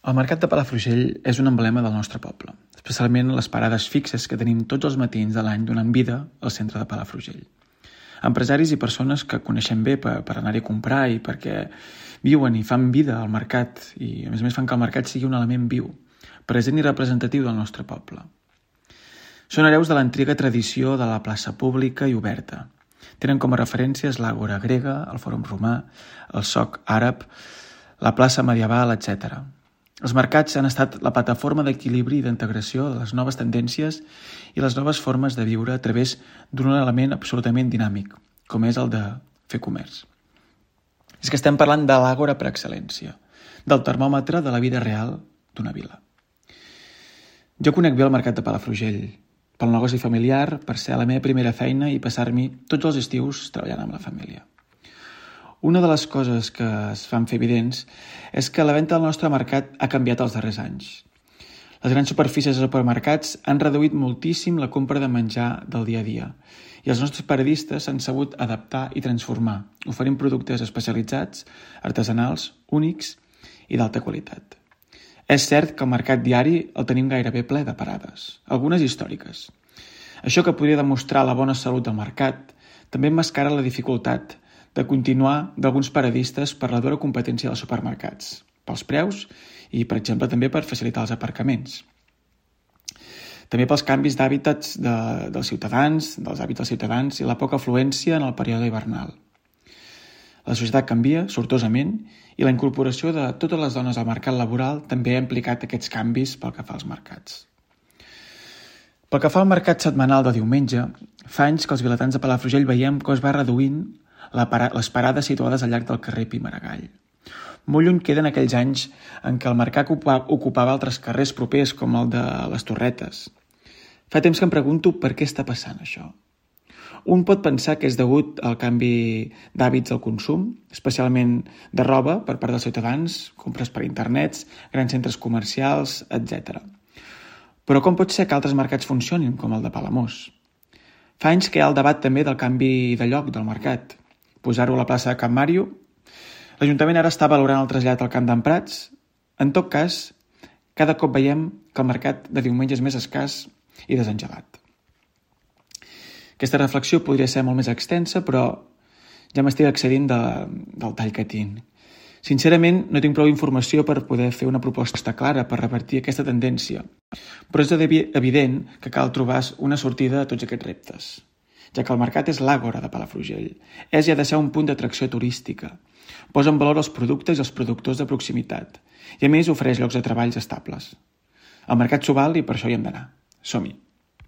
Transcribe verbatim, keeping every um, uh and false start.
El mercat de Palafrugell és un emblema del nostre poble, especialment les parades fixes que tenim tots els matins de l'any donant vida al centre de Palafrugell. Empresaris i persones que coneixem bé per, per anar-hi a comprar i perquè viuen i fan vida al mercat i a més a més fan que el mercat sigui un element viu, present i representatiu del nostre poble. Són hereus de l'antiga tradició de la plaça pública i oberta. Tenen com a referències l'àgora grega, el fòrum romà, el soc àrab, la plaça medieval, etcètera. Els mercats han estat la plataforma d'equilibri i d'integració de les noves tendències i les noves formes de viure a través d'un element absolutament dinàmic, com és el de fer comerç. És que estem parlant de l'àgora per excel·lència, del termòmetre de la vida real d'una vila. Jo conec bé el mercat de Palafrugell, pel negoci familiar, per ser la meva primera feina i passar-m'hi tots els estius treballant amb la família. Una de les coses que es fan fer evidents és que la venda del nostre mercat ha canviat els darrers anys. Les grans superfícies de supermercats han reduït moltíssim la compra de menjar del dia a dia i els nostres paradistes s'han sabut adaptar i transformar, oferint productes especialitzats, artesanals, únics i d'alta qualitat. És cert que el mercat diari el tenim gairebé ple de parades, algunes històriques. Això que podria demostrar la bona salut del mercat també emmascara la dificultat de continuar d'alguns paradistes per la dura competència dels supermercats, pels preus i, per exemple, també per facilitar els aparcaments. També pels canvis d'hàbitats de, dels ciutadans, dels hàbits dels ciutadans i la poca afluència en el període hivernal. La societat canvia sortosament i la incorporació de totes les dones al mercat laboral també ha implicat aquests canvis pel que fa als mercats. Pel que fa al mercat setmanal de diumenge, fa anys que els vilatans de Palafrugell veiem que es va reduint la para, les parades situades al llarg del carrer Pi Maragall. Molt lluny queden aquells anys en què el mercat ocupava, ocupava altres carrers propers com el de les Torretes. Fa temps que em pregunto per què està passant això. Un pot pensar que és degut al canvi d'hàbits del consum, especialment de roba per part dels ciutadans, compres per internets, grans centres comercials, etcètera. Però com pot ser que altres mercats funcionin, com el de Palamós? Fa anys que hi ha el debat també del canvi de lloc del mercat. Posar-ho a la plaça de Can Màrio. L'Ajuntament ara està valorant el trasllat al Camp d'en Prats. En tot cas, cada cop veiem que el mercat de diumenge és més escàs i desengegat. Aquesta reflexió podria ser molt més extensa, però ja m'estic excedint de, del tall que tinc. Sincerament, no tinc prou informació per poder fer una proposta clara per revertir aquesta tendència, però és evident que cal trobar una sortida a tots aquests reptes, ja que el mercat és l'àgora de Palafrugell. És i ha de ser un punt d'atracció turística. Posa en valor els productes i els productors de proximitat i, a més, ofereix llocs de treballs estables. El mercat s'ho val i per això hi hem d'anar. Som-hi!